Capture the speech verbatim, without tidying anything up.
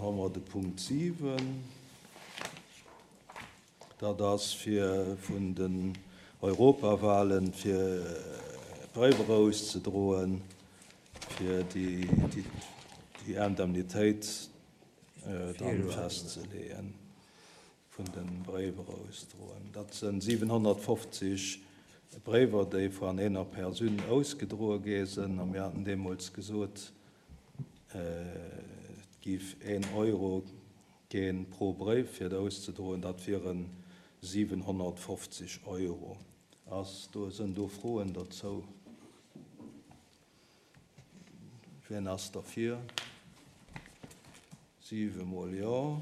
Dann hu mer de Punkt siwen. Dat ass fir vun den Europawahlen fir Bréiwer auszedroen, fir déi Indemnitéit dann festzeleeën vun de Bréiwer ausdroen. Dat sinn siwenhonnertfofzeg Bréiwer, déi van eener Persoun ausgedroe gi sinn. A mir haten deemools gesot, et géif een Euro ginn pro Bréif fir et auszedroen. Dat wiere siwenhonnertfofzeg Euro. Ass do, sinn do Froen dozou? Wien ass derfir? Siwe mol Jo.